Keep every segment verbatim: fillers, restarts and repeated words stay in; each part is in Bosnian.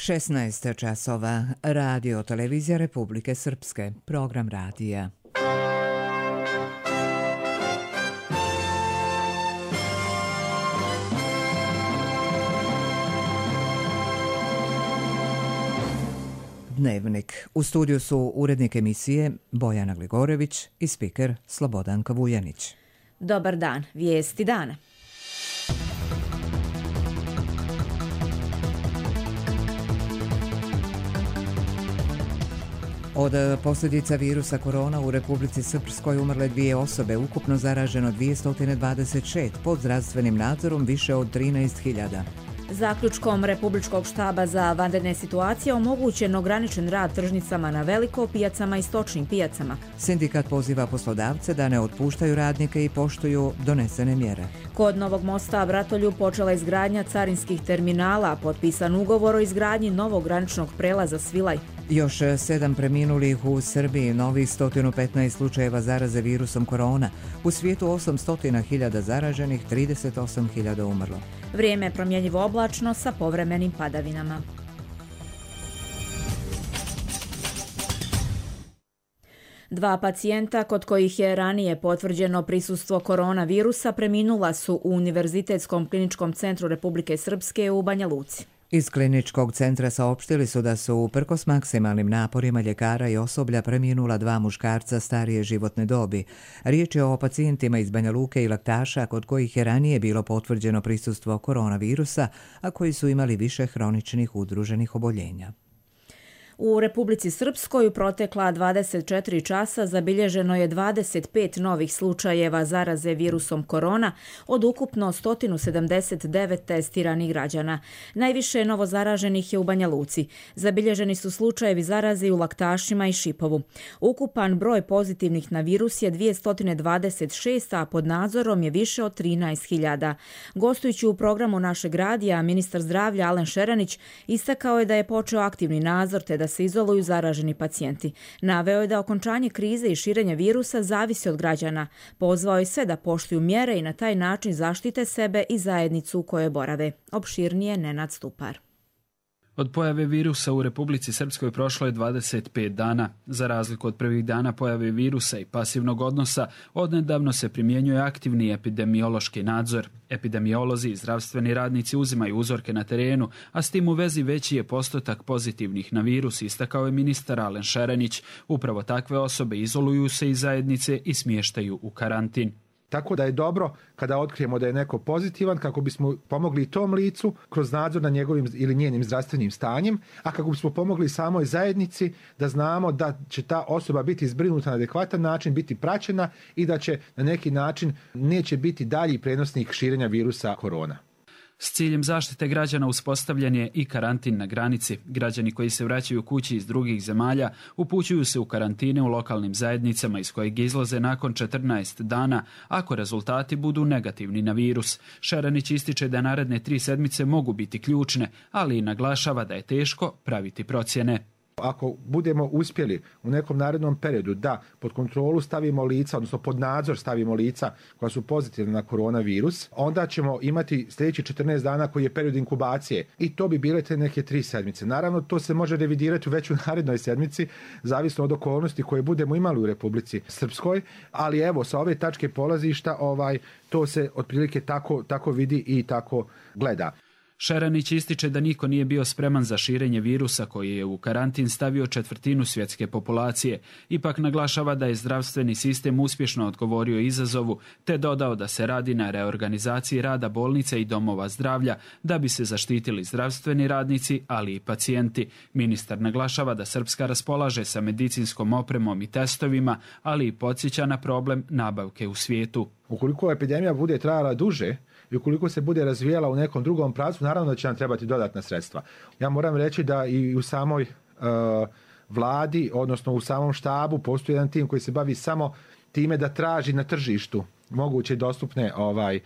šesnaest časova, Radio Televizija Republike Srpske, program radija. Dnevnik. U studiju su urednik emisije Bojana Gligorević i spiker Slobodanka Vujanić. Dobar dan, vijesti dana. Od posljedica virusa korona u Republici Srpskoj umrle dvije osobe, ukupno zaraženo dvjesto dvadeset šest, pod zdravstvenim nadzorom više od trinaest hiljada. Zaključkom Republičkog štaba za vanredne situacije omogućen ograničen rad tržnicama na veliko, pijacama i stočnim pijacama. Sindikat poziva poslodavce da ne otpuštaju radnike i poštuju donesene mjere. Kod Novog mosta Bratolju počela izgradnja carinskih terminala, potpisan ugovor o izgradnji novog graničnog prelaza Svilaj. Još sedam preminulih u Srbiji, novih sto petnaest slučajeva zaraze virusom korona. U svijetu osamsto hiljada zaraženih, trideset osam hiljada umrlo. Vrijeme je promjenjivo oblačno sa povremenim padavinama. Dva pacijenta kod kojih je ranije potvrđeno prisustvo koronavirusa preminula su u Univerzitetskom kliničkom centru Republike Srpske u Banja Luci. Iz kliničkog centra saopštili su da su uprkos maksimalnim naporima ljekara i osoblja preminula dva muškarca starije životne dobi. Riječ je o pacijentima iz Banja Luke i Laktaša kod kojih je ranije bilo potvrđeno prisustvo koronavirusa, a koji su imali više hroničnih udruženih oboljenja. U Republici Srpskoj u protekla dvadeset četiri časa zabilježeno je dvadeset pet novih slučajeva zaraze virusom korona od ukupno sto sedamdeset devet testiranih građana. Najviše novozaraženih je u Banja Luci. Zabilježeni su slučajevi zaraze u Laktašima i Šipovu. Ukupan broj pozitivnih na virus je dvjesto dvadeset šest, a pod nadzorom je više od trinaest hiljada. Gostujući u programu našeg radija, ministar zdravlja Alen Šeranić istakao je da je počeo aktivni nadzor te da se izoluju zaraženi pacijenti. Naveo je da okončanje krize i širenja virusa zavisi od građana. Pozvao je sve da poštuju mjere i na taj način zaštite sebe i zajednicu u kojoj borave. Opširnije Nenad Stupar. Od pojave virusa u Republici Srpskoj prošlo je dvadeset pet dana. Za razliku od prvih dana pojave virusa i pasivnog odnosa, odnedavno se primjenjuje aktivni epidemiološki nadzor. Epidemiolozi i zdravstveni radnici uzimaju uzorke na terenu, a s tim u vezi veći je postotak pozitivnih na virus, istakao je ministar Alen Šeranić. Upravo takve osobe izoluju se iz zajednice i smještaju u karantin. Tako da je dobro kada otkrijemo da je neko pozitivan, kako bismo pomogli tom licu kroz nadzor na njegovim ili njenim zdravstvenim stanjem, a kako bismo pomogli samoj zajednici da znamo da će ta osoba biti zbrinuta na adekvatan način, biti praćena i da će na neki način neće biti dalji prenosnik širenja virusa korona. S ciljem zaštite građana uspostavljen je i karantin na granici. Građani koji se vraćaju kući iz drugih zemalja upućuju se u karantine u lokalnim zajednicama iz kojeg izlaze nakon četrnaest dana ako rezultati budu negativni na virus. Šeranić ističe da naredne tri sedmice mogu biti ključne, ali i naglašava da je teško praviti procjene. Ako budemo uspjeli u nekom narednom periodu da pod kontrolu stavimo lica, odnosno pod nadzor stavimo lica koja su pozitivna na koronavirus, onda ćemo imati sljedeći četrnaest dana koji je period inkubacije i to bi bile te neke tri sedmice. Naravno, to se može revidirati u već u narednoj sedmici, zavisno od okolnosti koje budemo imali u Republici Srpskoj, ali evo, sa ove tačke polazišta ovaj, to se otprilike tako, tako vidi i tako gleda. Šeranić ističe da niko nije bio spreman za širenje virusa koji je u karantin stavio četvrtinu svjetske populacije. Ipak naglašava da je zdravstveni sistem uspješno odgovorio izazovu, te dodao da se radi na reorganizaciji rada bolnica i domova zdravlja da bi se zaštitili zdravstveni radnici, ali i pacijenti. Ministar naglašava da Srpska raspolaže sa medicinskom opremom i testovima, ali i podsjeća na problem nabavke u svijetu. Ukoliko epidemija bude trajala duže, i ukoliko se bude razvijala u nekom drugom pravcu, naravno da će nam trebati dodatna sredstva. Ja moram reći da i u samoj uh, vladi, odnosno u samom štabu, postoji jedan tim koji se bavi samo time da traži na tržištu moguće dostupne ovaj uh,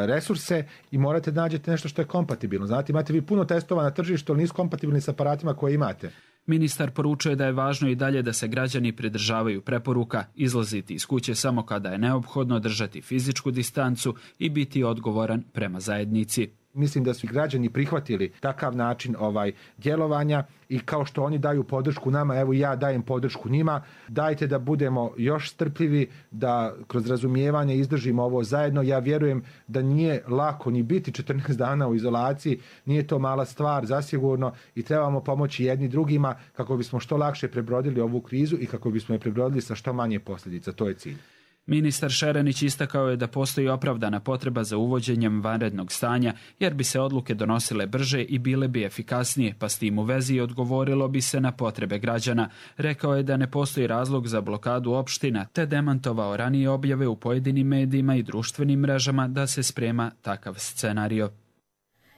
resurse i morate nađete nešto što je kompatibilno. Znate, imate vi puno testova na tržištu, ali nisu kompatibilni sa aparatima koje imate. Ministar poručuje da je važno i dalje da se građani pridržavaju preporuka, izlaziti iz kuće samo kada je neophodno, držati fizičku distancu i biti odgovoran prema zajednici. Mislim da su građani prihvatili takav način ovaj djelovanja i kao što oni daju podršku nama, evo ja dajem podršku njima. Dajte da budemo još strpljivi, da kroz razumijevanje izdržimo ovo zajedno. Ja vjerujem da nije lako ni biti četrnaest dana u izolaciji, nije to mala stvar zasigurno i trebamo pomoći jedni drugima kako bismo što lakše prebrodili ovu krizu i kako bismo je prebrodili sa što manje posljedica. To je cilj. Ministar Šerenić istakao je da postoji opravdana potreba za uvođenjem vanrednog stanja, jer bi se odluke donosile brže i bile bi efikasnije, pa s tim u vezi odgovorilo bi se na potrebe građana. Rekao je da ne postoji razlog za blokadu opština, te demantovao ranije objave u pojedinim medijima i društvenim mrežama da se sprema takav scenario.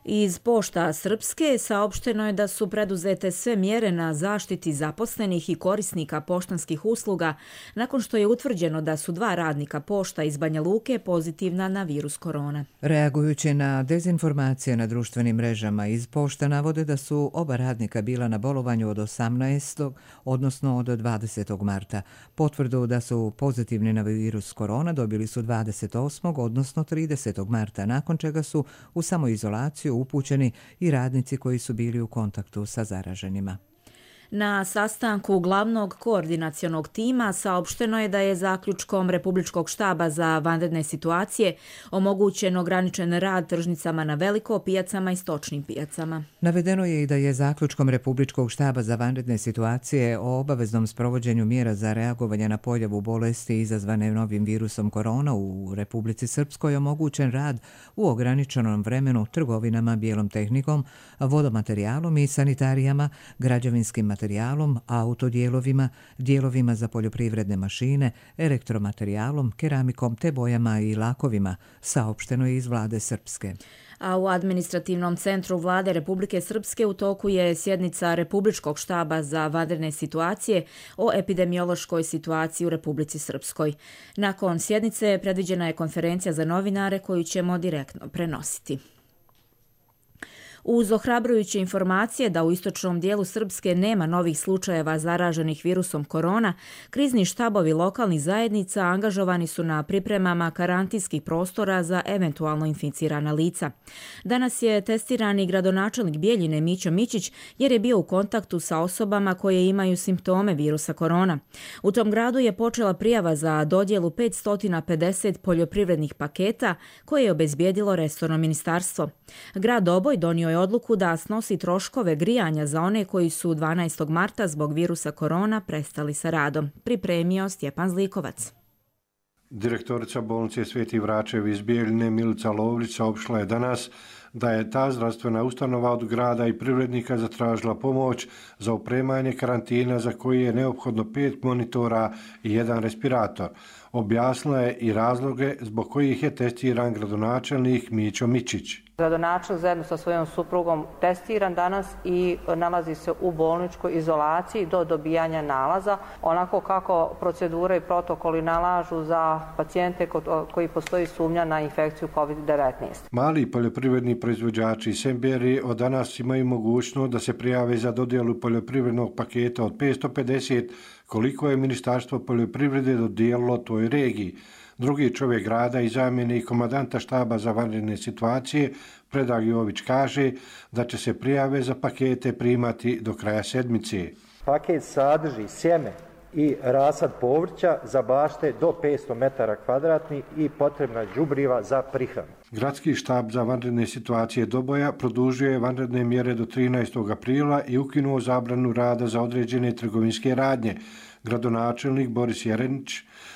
Iz Pošta Srpske saopšteno je da su preduzete sve mjere na zaštiti zaposlenih i korisnika poštanskih usluga nakon što je utvrđeno da su dva radnika pošta iz Banja Luke pozitivna na virus korona. Reagujući na dezinformacije na društvenim mrežama, iz Pošta navode da su oba radnika bila na bolovanju od osamnaestog odnosno od dvadesetog marta. Potvrdu da su pozitivni na virus korona dobili su dvadeset osmog odnosno tridesetog marta, nakon čega su u samoizolaciju upućeni i radnici koji su bili u kontaktu sa zaraženima. Na sastanku glavnog koordinacionog tima saopšteno je da je zaključkom Republičkog štaba za vanredne situacije omogućen ograničen rad tržnicama na veliko, pijacama i stočnim pijacama. Navedeno je i da je zaključkom Republičkog štaba za vanredne situacije o obaveznom sprovođenju mjera za reagovanje na pojavu bolesti izazvane novim virusom korona u Republici Srpskoj omogućen rad u ograničenom vremenu trgovinama bijelom tehnikom, vodomaterijalom i sanitarijama, građevinskim materijalom, materijalom, autodijelovima, dijelovima za poljoprivredne mašine, elektromaterijalom, keramikom te bojama i lakovima, saopšteno je iz vlade Srpske. A u administrativnom centru vlade Republike Srpske u toku je sjednica Republičkog štaba za vanredne situacije o epidemiološkoj situaciji u Republici Srpskoj. Nakon sjednice predviđena je konferencija za novinare koju ćemo direktno prenositi. Uz ohrabrujuće informacije da u istočnom dijelu Srpske nema novih slučajeva zaraženih virusom korona, krizni štabovi lokalnih zajednica angažovani su na pripremama karantinskih prostora za eventualno inficirana lica. Danas je testirani gradonačelnik Bijeljine Mićo Mićić jer je bio u kontaktu sa osobama koje imaju simptome virusa korona. U tom gradu je počela prijava za dodjelu petsto pedeset poljoprivrednih paketa koje je obezbijedilo resorno ministarstvo. Grad Oboj donio je odluku da snosi troškove grijanja za one koji su dvanaestog marta zbog virusa korona prestali sa radom. Pripremio Stjepan Zlikovac. Direktorica bolnice Sveti Vračev iz Bijeljine Milica Lovrić saopštila je danas da je ta zdravstvena ustanova od grada i privrednika zatražila pomoć za opremanje karantina za koji je neophodno pet monitora i jedan respirator. Objasnila je i razloge zbog kojih je testiran gradonačelnik Mićo Mićić. Gradonačelnik zajedno sa svojom suprugom testiran danas i nalazi se u bolničkoj izolaciji do dobijanja nalaza, onako kako procedure i protokoli nalažu za pacijente koji postoji sumnja na infekciju kovid devetnaest. Mali poljoprivredni proizvođači i semberi od danas imaju mogućnost da se prijave za dodjelu poljoprivrednog paketa od petsto pedeset koliko je Ministarstvo poljoprivrede dodijelilo toj regiji. Drugi čovjek grada i zamjenik komandanta štaba za vanredne situacije, Predrag Jović, kaže da će se prijave za pakete primati do kraja sedmice. Paket sadrži sjeme i rasad povrća za bašte do petsto metara kvadratnih i potrebna đubriva za prihranu. Gradski štab za vanredne situacije Doboja produžuje vanredne mjere do trinaestog aprila i ukinuo zabranu rada za određene trgovinske radnje. Gradonačelnik Boris Jerenić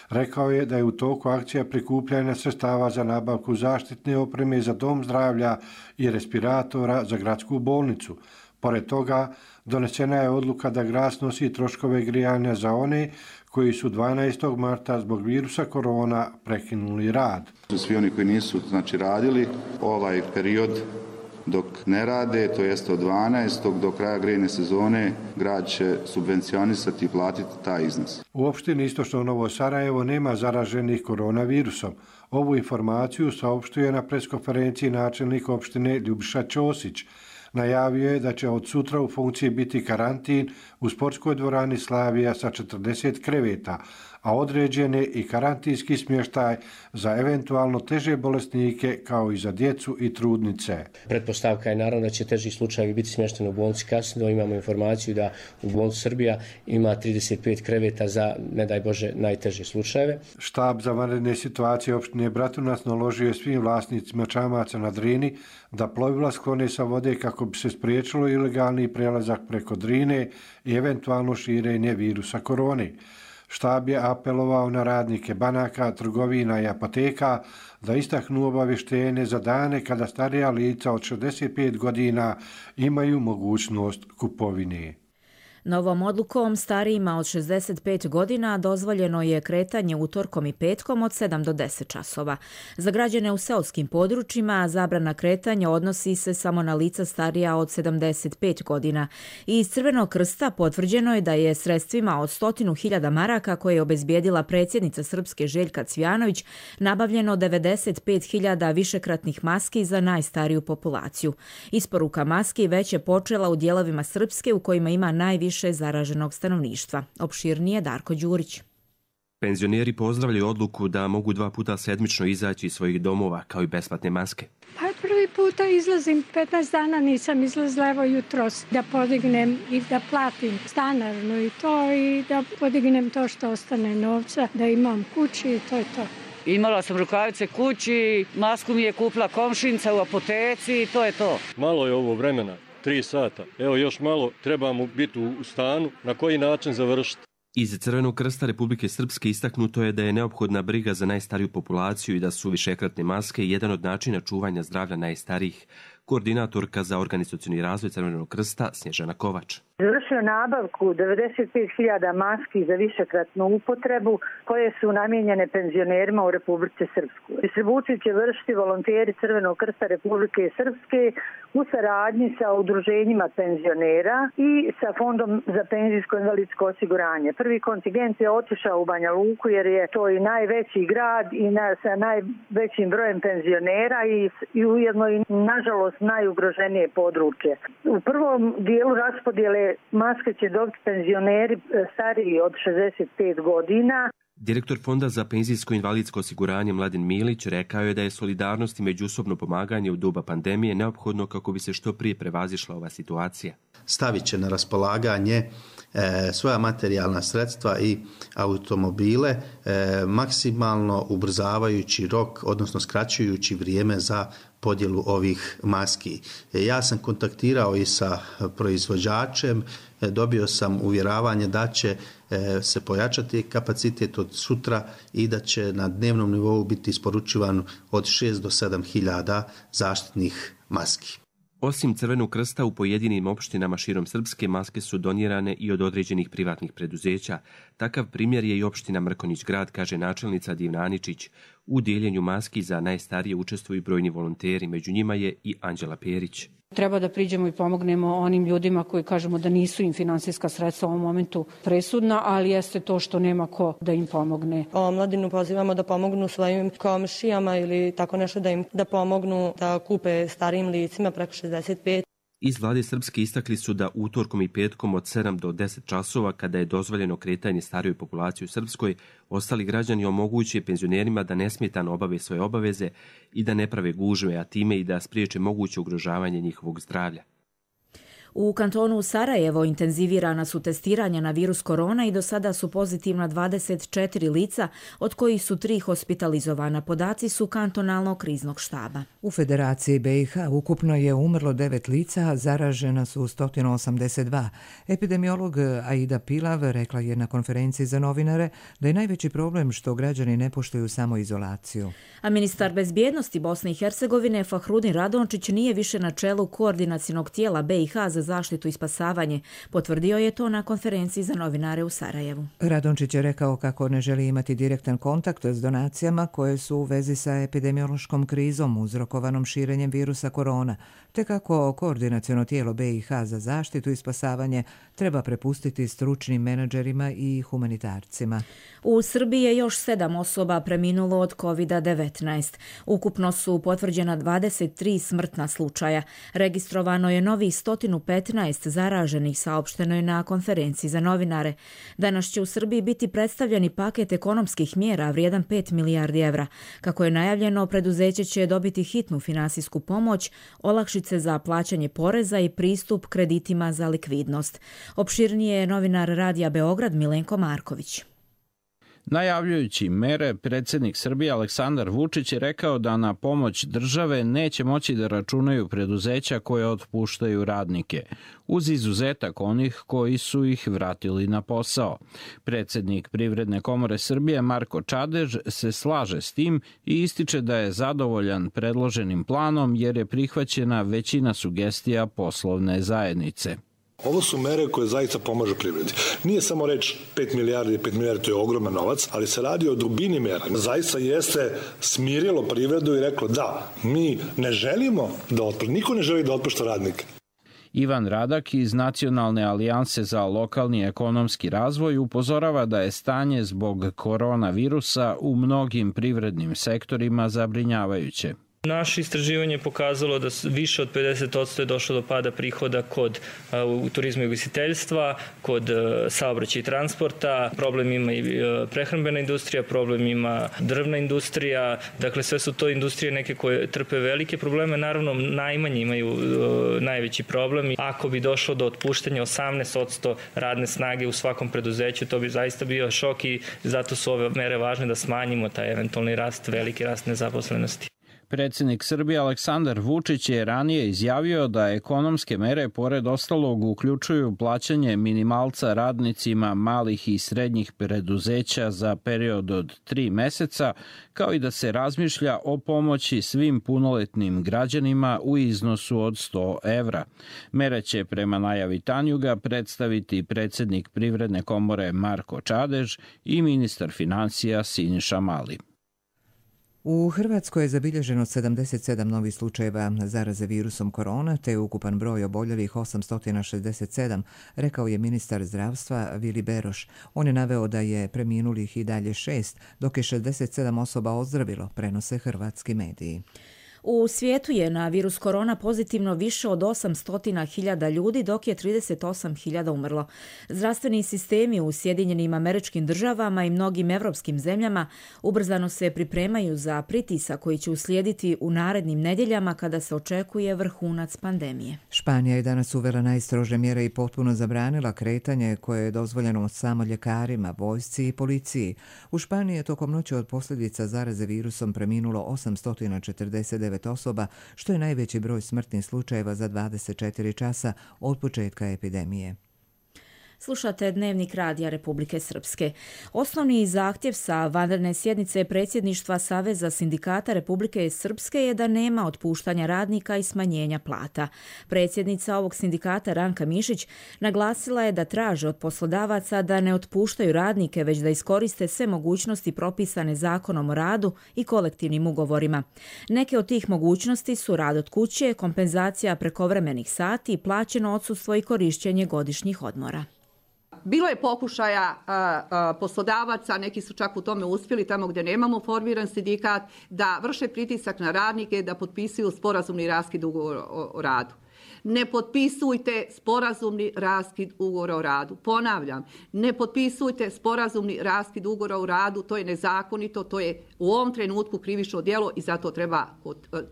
rekao je da je u toku akcija prikupljanja sredstava za nabavku zaštitne opreme za dom zdravlja i respiratora za gradsku bolnicu. Pored toga, donesena je odluka da grad snosi troškove grijanja za one koji su dvanaestog marta zbog virusa korona prekinuli rad. Svi oni koji nisu znači, radili ovaj period dok ne rade, to jest od dvanaestog do kraja grejne sezone, grad će subvencionisati i platiti taj iznos. U opštini Istočno Novo Sarajevo nema zaraženih koronavirusom. Ovu informaciju saopštuje na preskonferenciji načelnik opštine Ljubiša Ćosić. Najavio je da će od sutra u funkciji biti karantin u sportskoj dvorani Slavija sa četrdeset kreveta, a određene i karantinski smještaj za eventualno teže bolesnike kao i za djecu i trudnice. Pretpostavka je naravno da će teži slučajevi biti smješteni u bolnici Kasino. Imamo informaciju da u bolnici Srbija ima trideset pet kreveta za, ne daj Bože, najteže slučajeve. Štab za vanredne situacije opštine Bratunac naložio je svim vlasnicima čamaca na Drini da plovila sklone sa vode kako bi se spriječilo ilegalni prelazak preko Drine i eventualno širenje virusa korone. Štab je apelovao na radnike banaka, trgovina i apoteka da istaknu obavještenje za dane kada starija lica od šezdeset pet godina imaju mogućnost kupovine. Novom odlukom starijima od šezdeset pet godina dozvoljeno je kretanje utorkom i petkom od sedam do deset časova. Za građane u seoskim područjima zabrana kretanja odnosi se samo na lica starija od sedamdeset pet godina. I iz Crvenog krsta potvrđeno je da je sredstvima od stotinu hiljada maraka koje je obezbijedila predsjednica Srpske Željka Cvijanović nabavljeno devedeset pet hiljada višekratnih maski za najstariju populaciju. Isporuka maski već je počela u dijelovima Srpske u kojima ima najviše zaraženog stanovništva. Opširnije Darko Đurić. Penzioneri pozdravljaju odluku da mogu dva puta sedmično izaći iz svojih domova kao i besplatne maske. Pa prvi puta izlazim, petnaest dana nisam izlazila, evo jutros, da podignem i da platim stanarno i to i da podignem to što ostane novca, da imam kući i to je to. Imala sam rukavice kući, masku mi je kupila komšinca u apoteci i to je to. Malo je ovo vremena. Tri sata. Evo još malo, trebamo biti u stanu. Na koji način završiti? Iz Crvenog krsta Republike Srpske istaknuto je da je neophodna briga za najstariju populaciju i da su višekratne maske jedan od načina čuvanja zdravlja najstarijih. Koordinatorka za organizacioni razvoj Crvenog krsta Snježana Kovač. Završio nabavku devedeset pet hiljada maski za višekratnu upotrebu koje su namijenjene penzionerima u Republici Srpskoj. Distribuciju će vršiti volonteri Crvenog krsta Republike Srpske u saradnji sa udruženjima penzionera i sa Fondom za penzijsko invalidsko osiguranje. Prvi kontingent je otišao u Banja Luku jer je to i najveći grad i na, sa najvećim brojem penzionera i, i ujedno i nažalost najugroženije područje. U prvom dijelu raspodjele maske će dobiti penzioneri stariji od šezdeset pet godina. Direktor Fonda za penzijsko invalidsko osiguranje Mladen Milić rekao je da je solidarnost i međusobno pomaganje u doba pandemije neophodno kako bi se što prije prevazišla ova situacija. Stavit će na raspolaganje e, svoja materijalna sredstva i automobile, e, maksimalno ubrzavajući rok, odnosno skraćujući vrijeme za podjelu ovih maski. Ja sam kontaktirao i sa proizvođačem, dobio sam uvjeravanje da će se pojačati kapacitet od sutra i da će na dnevnom nivou biti isporučivan od šest do sedam hiljada zaštitnih maski. Osim Crvenog krsta u pojedinim opštinama širom Srpske maske su donirane i od određenih privatnih preduzeća. Takav primjer je i opština Mrkonjić grad, kaže načelnica Divna Aničić. U dijeljenju maski za najstarije učestvuju brojni volonteri, među njima je i Anđela Perić. Treba da priđemo i pomognemo onim ljudima koji kažemo da nisu im finansijska sredstva u ovom momentu presudna, ali jeste to što nema ko da im pomogne. Omladinu pozivamo da pomognu svojim komšijama ili tako nešto da im da pomognu da kupe starijim licima preko šezdeset pet. Iz vlade Srpske istakli su da utorkom i petkom od sedam do deset časova, kada je dozvoljeno kretanje starijoj populaciji u Srpskoj, ostali građani omoguće penzionerima da nesmetano obave svoje obaveze i da ne prave gužve, a time i da spriječe moguće ugrožavanje njihovog zdravlja. U kantonu Sarajevo intenzivirana su testiranja na virus korona i do sada su pozitivna dvadeset četiri lica, od kojih su tri hospitalizovana. Podaci su kantonalnog kriznog štaba. U Federaciji B i H ukupno je umrlo devet lica, a zaražena su sto osamdeset dva. Epidemiolog Aida Pilav rekla je na konferenciji za novinare da je najveći problem što građani ne poštuju samoizolaciju. A ministar bezbjednosti Bosne i Hercegovine Fahrudin Radončić nije više na čelu koordinacionog tijela B i H za zaštitu i spasavanje. Potvrdio je to na konferenciji za novinare u Sarajevu. Radončić je rekao kako ne želi imati direktan kontakt s donacijama koje su u vezi sa epidemiološkom krizom uzrokovanom širenjem virusa korona, te kako koordinaciono tijelo B i H za zaštitu i spasavanje treba prepustiti stručnim menadžerima i humanitarcima. U Srbiji je još sedam osoba preminulo od kovid devetnaest. Ukupno su potvrđena dvadeset tri smrtna slučaja. Registrovano je novih sto petnaest zaraženih, saopšteno je na konferenciji za novinare. Danas će u Srbiji biti predstavljeni paket ekonomskih mjera vrijedan pet milijardi evra. Kako je najavljeno, preduzeće će dobiti hitnu finansijsku pomoć, olakšice za plaćanje poreza i pristup kreditima za likvidnost. Opširnije je novinar Radija Beograd Milenko Marković. Najavljujući mere, predsjednik Srbije Aleksandar Vučić je rekao da na pomoć države neće moći da računaju preduzeća koje otpuštaju radnike, uz izuzetak onih koji su ih vratili na posao. Predsjednik Privredne komore Srbije Marko Čadež se slaže s tim i ističe da je zadovoljan predloženim planom jer je prihvaćena većina sugestija poslovne zajednice. Ovo su mere koje zaista pomažu privredi. Nije samo reč pet milijardi, pet milijardi to je ogroman novac, ali se radi o dubini mera. Zaista jeste smirilo privredu i reklo da, mi ne želimo da otpušta, niko ne želi da otpušta radnike. Ivan Radak iz Nacionalne alijanse za lokalni ekonomski razvoj upozorava da je stanje zbog koronavirusa u mnogim privrednim sektorima zabrinjavajuće. Naše istraživanje je pokazalo da više od pedeset posto je došlo do pada prihoda kod u turizmu i ugostiteljstva, kod saobraćaja i transporta, problem ima i prehrambena industrija, problem ima drvna industrija, dakle sve su to industrije neke koje trpe velike probleme, naravno najmanje imaju najveći problem. Ako bi došlo do otpuštanja osamnaest posto radne snage u svakom preduzeću, to bi zaista bio šok i zato su ove mere važne da smanjimo taj eventualni rast, veliki rast nezaposlenosti. Predsjednik Srbije Aleksandar Vučić je ranije izjavio da ekonomske mere pored ostalog uključuju plaćanje minimalca radnicima malih i srednjih preduzeća za period od tri meseca, kao i da se razmišlja o pomoći svim punoletnim građanima u iznosu od sto evra. Mere će prema najavi Tanjuga predstaviti predsjednik Privredne komore Marko Čadež i ministar financija Siniša Mali. U Hrvatskoj je zabilježeno sedamdeset sedam novih slučajeva zaraze virusom korona, te je ukupan broj oboljelih osamsto šezdeset sedam, rekao je ministar zdravstva Vili Beroš. On je naveo da je preminulih i dalje šest, dok je šezdeset sedam osoba ozdravilo, prenose hrvatski mediji. U svijetu je na virus korona pozitivno više od osamsto hiljada ljudi, dok je trideset osam hiljada umrlo. Zdravstveni sistemi u Sjedinjenim Američkim Državama i mnogim evropskim zemljama ubrzano se pripremaju za pritisak koji će uslijediti u narednim nedjeljama kada se očekuje vrhunac pandemije. Španija je danas uvela najstrože mjere i potpuno zabranila kretanje koje je dozvoljeno samo ljekarima, vojsci i policiji. U Španiji je tokom noći od posljedica zaraze virusom preminulo osamsto četrdeset devet osoba, što je najveći broj smrtnih slučajeva za dvadeset četiri časa od početka epidemije. Slušate Dnevnik Radija Republike Srpske. Osnovni zahtjev sa vanredne sjednice predsjedništva Saveza sindikata Republike Srpske je da nema otpuštanja radnika i smanjenja plata. Predsjednica ovog sindikata Ranka Mišić naglasila je da traže od poslodavaca da ne otpuštaju radnike, već da iskoriste sve mogućnosti propisane zakonom o radu i kolektivnim ugovorima. Neke od tih mogućnosti su rad od kuće, kompenzacija prekovremenih sati, plaćeno odsustvo i korišćenje godišnjih odmora. Bilo je pokušaja a, a, poslodavaca, neki su čak u tome uspjeli, tamo gdje nemamo formiran sindikat, da vrše pritisak na radnike da potpisuju sporazumni raskid ugovora o, o radu. Ne potpisujte sporazumni raskid ugovora o radu. Ponavljam, ne potpisujte sporazumni raskid ugovora o radu, to je nezakonito, to je u ovom trenutku krivično djelo i zato treba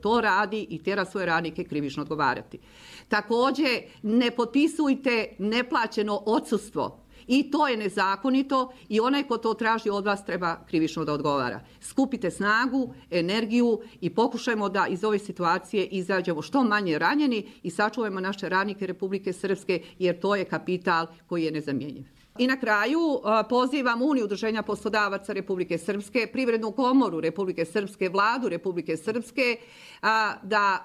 to radi i tjera svoje radnike krivično odgovarati. Također, ne potpisujte neplaćeno odsustvo. I to je nezakonito i onaj ko to traži od vas treba krivično da odgovara. Skupite snagu, energiju i pokušajmo da iz ove situacije izađemo što manje ranjeni i sačuvajmo naše radnike Republike Srpske jer to je kapital koji je nezamjenjiv. I na kraju pozivam Uniju udruženja poslodavaca Republike Srpske, Privrednu komoru Republike Srpske, Vladu Republike Srpske da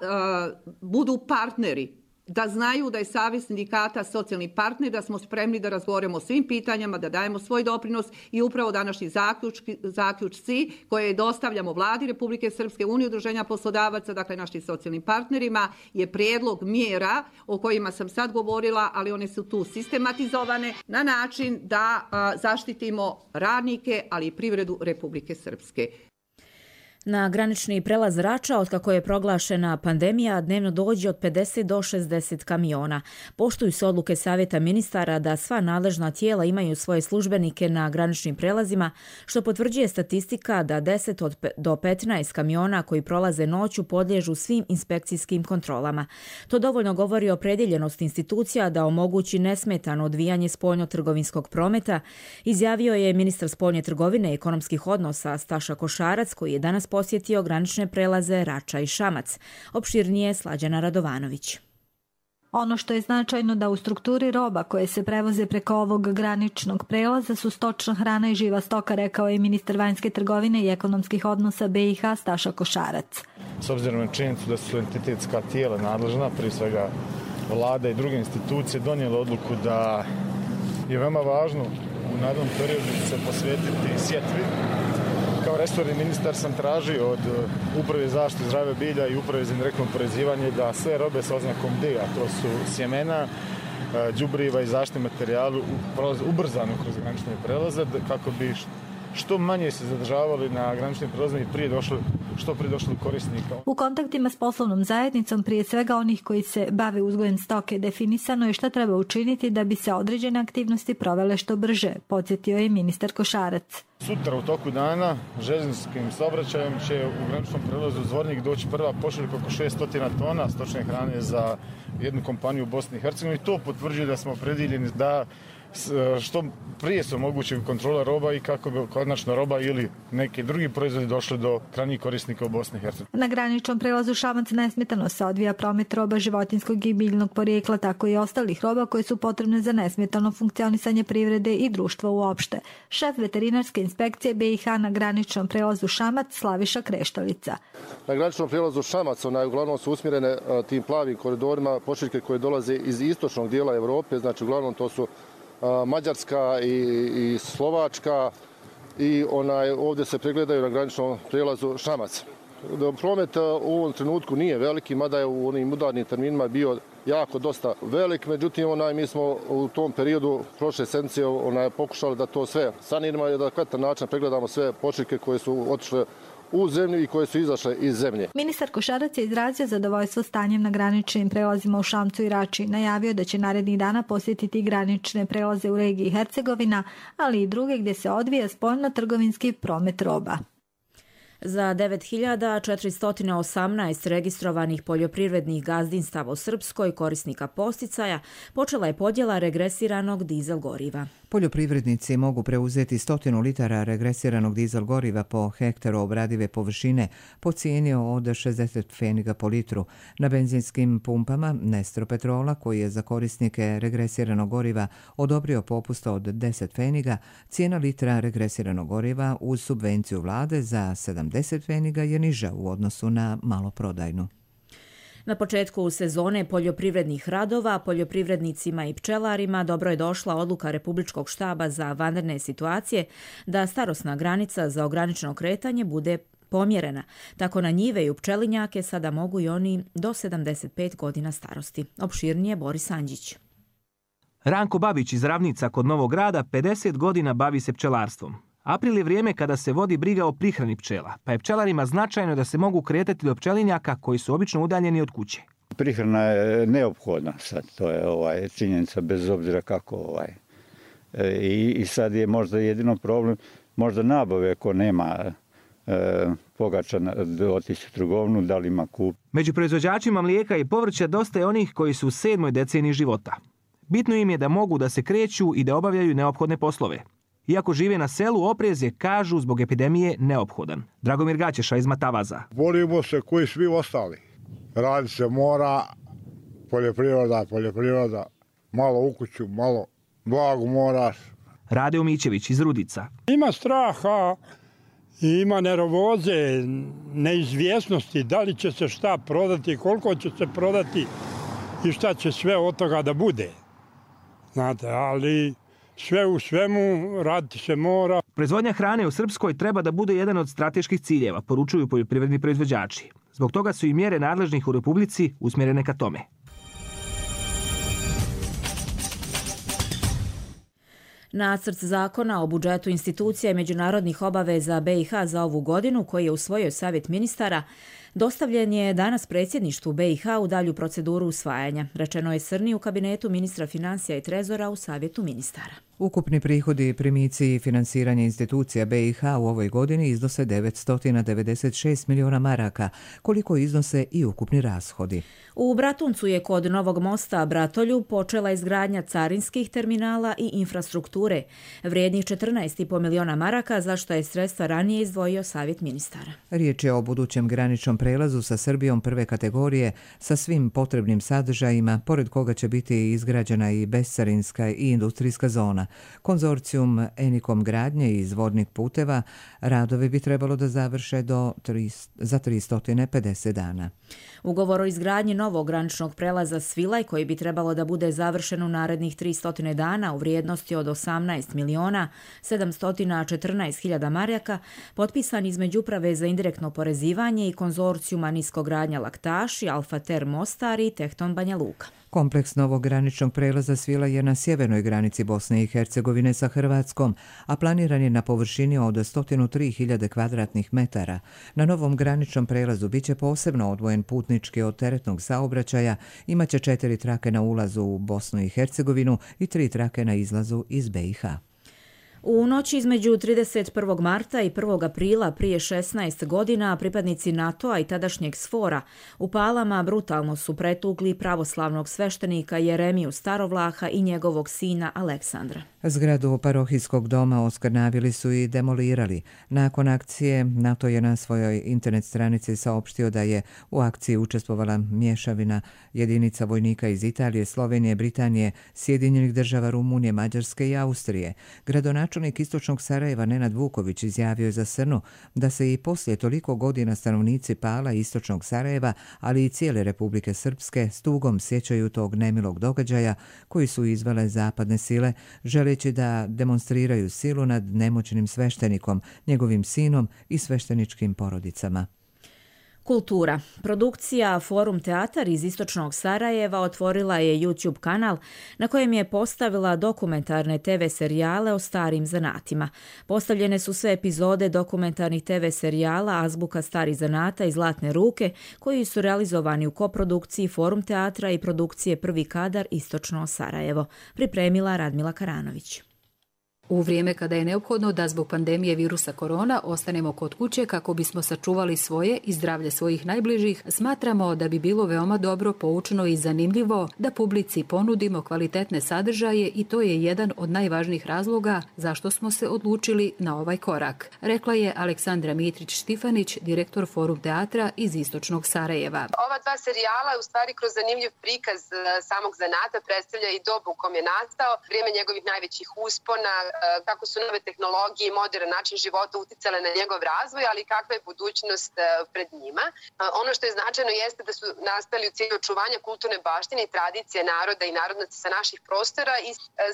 budu partneri, da znaju da je Savez sindikata socijalni partner, da smo spremni da razgovaramo o svim pitanjama, da dajemo svoj doprinos i upravo današnji zaključki, zaključci koje dostavljamo Vladi Republike Srpske, Uniji udruženja poslodavaca, dakle našim socijalnim partnerima, je prijedlog mjera o kojima sam sad govorila, ali one su tu sistematizovane na način da a, zaštitimo radnike, ali i privredu Republike Srpske. Na granični prelaz Rača, otkako je proglašena pandemija, dnevno dođe od pedeset do šezdeset kamiona. Poštuju se odluke Savjeta ministara da sva nadležna tijela imaju svoje službenike na graničnim prelazima, što potvrđuje statistika da deset do petnaest kamiona koji prolaze noću podliježu svim inspekcijskim kontrolama. To dovoljno govori o opredjeljenosti institucija da omogući nesmetano odvijanje spoljno-trgovinskog prometa, izjavio je ministar spoljne trgovine i ekonomskih odnosa Staša Košarac, koji je danas posjetio granične prelaze Rača i Šamac. Opširnije Slađana Radovanović. Ono što je značajno da u strukturi roba koje se prevoze preko ovog graničnog prelaza su stočna hrana i živa stoka, rekao je ministar vanjske trgovine i ekonomskih odnosa be i ha Staša Košarac. S obzirom na činjenicu da su entitetska tijela nadležna, prije svega vlada i druge institucije, donijela odluku da je veoma važno u narednom periodu se posvetiti sjetvi. Kao resorni ministar sam tražio od Uprave za zaštitu zdravlja bilja i Uprave za indirektno oporezivanje da sve robe sa oznakom D, a to su sjemena, đubriva i zaštitni materijali, ubrzano kroz granične prelaze kako bi što manje se zadržavali na graničnim prelazima i prije došli, što prije došli korisnika. U kontaktima s poslovnom zajednicom, prije svega onih koji se bave uzgojem stoke, definisano je šta treba učiniti da bi se određene aktivnosti provele što brže, podsjetio je ministar Košarac. Sutra u toku dana željezničkim saobraćajem će u graničnom prelazu Zvornik doći prva pošiljka oko šesto tona stočne hrane za jednu kompaniju u Bosni i Hercegovini. To potvrđuje da smo opredjeljeni da što prije su moguće kontrola roba i kako bi konačno roba ili neki drugi proizvodi došli do krajnjih korisnika u Bosni i Hercegovini. Na graničnom prelazu Šamac nesmetano se odvija promet roba životinjskog i biljnog porijekla, tako i ostalih roba koje su potrebne za nesmetano funkcionisanje privrede i društva uopšte. Šef veterinarske inspekcije be i ha na graničnom prelazu Šamac Slaviša Kreštalica. Na graničnom prelazu Šamac onaj, uglavnom su usmjerene tim plavim koridorima pošiljke koje dolaze iz istočnog dijela Evrope, znači uglavnom to su Mađarska i, i Slovačka i onaj, ovdje se pregledaju na graničnom prijelazu Šamac. Promet u ovom trenutku nije veliki, mada je u onim udarnim terminima bio jako dosta velik, međutim onaj, mi smo u tom periodu prošle sedmice onaj, pokušali da to sve saniramo i da na kvalitetan način pregledamo sve pošiljke koje su otišle u zemlju i koje su izašle iz zemlje. Ministar Košarac je izrazio zadovoljstvo stanjem na graničnim prelazima u Šamcu i Rači. Najavio da će narednih dana posjetiti granične prelaze u regiji Hercegovina, ali i druge gdje se odvija spoljno-trgovinski promet roba. Za devet hiljada četiristo osamnaest registrovanih poljoprivrednih gazdinstava u Srpskoj korisnika posticaja počela je podjela regresiranog dizel goriva. Poljoprivrednici mogu preuzeti stotinu litara regresiranog dizel goriva po hektaru obradive površine po cijeni od šezdeset pfeniga po litru. Na benzinskim pumpama Nestro Petrola, koji je za korisnike regresiranog goriva odobrio popust od deset pfeniga, cijena litra regresiranog goriva uz subvenciju vlade za sedamdeset pfeniga je niža u odnosu na maloprodajnu. Na početku sezone poljoprivrednih radova, poljoprivrednicima i pčelarima dobro je došla odluka Republičkog štaba za vanredne situacije da starosna granica za ograničeno kretanje bude pomjerena. Tako na njive i u pčelinjake sada mogu i oni do sedamdeset pet godina starosti. Opširnije Boris Anđić. Ranko Babić iz Ravnica kod Novog Grada pedeset godina bavi se pčelarstvom. April je vrijeme kada se vodi briga o prihrani pčela, pa je pčelarima značajno da se mogu kretati do pčelinjaka koji su obično udaljeni od kuće. Prihrana je neophodna sad, to je ovaj, činjenica bez obzira kako ovaj. E, i, I sad je možda jedino problem, možda nabave ako nema e, pogača da otići u trgovinu, da li ima kup. Među proizvođačima mlijeka i povrća dosta je onih koji su u sedmoj deceniji života. Bitno im je da mogu da se kreću i da obavljaju neophodne poslove. Iako žive na selu, oprez je, kažu, zbog epidemije neophodan. Dragomir Gaćeša iz Matavaza. Borimo se koji svi ostali. Radi se mora, poljoprivreda, poljoprivreda, malo u kuću, malo blago moraš. Rade Umićević iz Rudica. Ima straha, ima nervoze, neizvjesnosti, da li će se šta prodati, koliko će se prodati i šta će sve od toga da bude. Znate, ali sve u svemu raditi se mora. Proizvodnja hrane u Srpskoj treba da bude jedan od strateških ciljeva, poručuju poljoprivredni proizvođači. Zbog toga su i mjere nadležnih u Republici usmjerene ka tome. Nacrt zakona o budžetu institucija i međunarodnih obaveza B i H za ovu godinu, koji je usvojio Savjet ministara, dostavljen je danas predsjedništvu B i H u dalju proceduru usvajanja, rečeno je Srni u kabinetu ministra financija i trezora u Savjetu ministara. Ukupni prihodi, primici i finansiranje institucija B i H u ovoj godini iznose devetsto devedeset šest miliona maraka, koliko iznose i ukupni rashodi. U Bratuncu je kod Novog mosta Bratolju počela izgradnja carinskih terminala i infrastrukture, vrijednih četrnaest i po miliona maraka, za što je sredstva ranije izdvojio Savjet ministara. Riječ je o budućem graničnom prelazu sa Srbijom prve kategorije sa svim potrebnim sadržajima, pored koga će biti izgrađena i bescarinska i industrijska zona. Konzorcijum Enikom gradnje i izvodnik puteva radovi bi trebalo da završe do za tristo pedeset dana. Ugovor o izgradnji novog graničnog prelaza Svilaj, koji bi trebalo da bude završen u narednih tristo dana u vrijednosti od osamnaest miliona sedamsto četrnaest hiljada maraka, potpisan između Uprave za indirektno oporezivanje i konzorcijuma Niskogradnja Laktaši, Alfater Mostar i Tehton Banja Luka. Kompleks novog graničnog prelaza Svilaj je na sjevernoj granici Bosne i Hercegovine sa Hrvatskom, a planiran je na površini od sto tri hiljade kvadratnih metara. Na novom graničnom prelazu biće posebno odvojen putnički od teretnog saobraćaja, imaće četiri trake na ulazu u Bosnu i Hercegovinu i tri trake na izlazu iz B i H. U noći između trideset prvog marta i prvog aprila prije šesnaest godina pripadnici NATO-a i tadašnjeg SFOR-a u Palama brutalno su pretukli pravoslavnog sveštenika Jeremiju Starovlaha i njegovog sina Aleksandra. Zgradu parohijskog doma oskrnavili su i demolirali. Nakon akcije NATO je na svojoj internet stranici saopštio da je u akciji učestvovala mješavina jedinica vojnika iz Italije, Slovenije, Britanije, Sjedinjenih država, Rumunije, Mađarske i Austrije. Gradonačelnik istočnog Sarajeva Nenad Vuković izjavio je za Srnu da se i poslije toliko godina stanovnici Pala i istočnog Sarajeva, ali i cijele Republike Srpske s tugom sjećaju tog nemilog događaja koji su izvele zapadne sile, želeći da demonstriraju silu nad nemoćnim sveštenikom, njegovim sinom i svešteničkim porodicama. Kultura. Produkcija Forum Teatar iz istočnog Sarajeva otvorila je YouTube kanal na kojem je postavila dokumentarne te ve serijale o starim zanatima. Postavljene su sve epizode dokumentarnih te ve serijala Azbuka starih zanata i Zlatne ruke, koji su realizovani u koprodukciji Forum Teatra i produkcije Prvi kadar Istočno Sarajevo. Pripremila Radmila Karanović. U vrijeme kada je neophodno da zbog pandemije virusa korona ostanemo kod kuće kako bismo sačuvali svoje i zdravlje svojih najbližih, smatramo da bi bilo veoma dobro, poučno i zanimljivo da publici ponudimo kvalitetne sadržaje i to je jedan od najvažnijih razloga zašto smo se odlučili na ovaj korak, rekla je Aleksandra Mitrić-Štifanić, direktor Forum Teatra iz istočnog Sarajeva. Ova dva serijala u stvari kroz zanimljiv prikaz samog zanata predstavlja i dobu u kom je nastao, vrijeme njegovih najvećih uspona, kako su nove tehnologije i modern način života uticale na njegov razvoj, ali kakva je budućnost pred njima. Ono što je značajno jeste da su nastali u cilju očuvanja kulturne baštine i tradicije naroda i narodnaca sa naših prostora i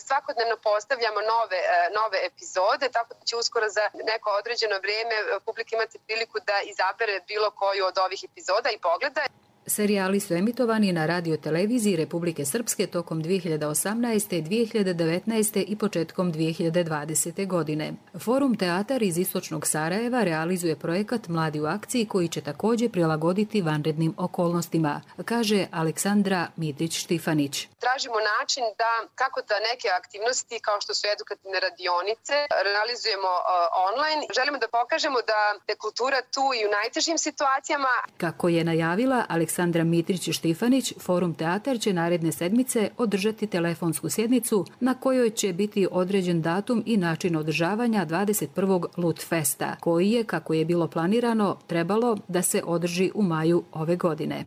svakodnevno postavljamo nove, nove epizode, tako da će uskoro za neko određeno vrijeme publika imati priliku da izabere bilo koju od ovih epizoda i pogleda. Serijali su emitovani na radioteleviziji Republike Srpske tokom dvije hiljade osamnaeste, dvije hiljade devetnaeste i početkom dvije hiljade dvadesete. godine. Forum Teatar iz istočnog Sarajeva realizuje projekat Mladi u akciji koji će također prilagoditi vanrednim okolnostima, kaže Aleksandra Mitrić-Štifanić. Tražimo način da kako da neke aktivnosti kao što su edukativne radionice realizujemo uh, online. Želimo da pokažemo da je kultura tu i u najtežim situacijama. Kako je najavila Aleksandra Aleksandra Mitrić-Štifanić, Forum Teatar će naredne sedmice održati telefonsku sjednicu na kojoj će biti određen datum i način održavanja dvadeset prvog Lut Festa, koji je, kako je bilo planirano, trebalo da se održi u maju ove godine.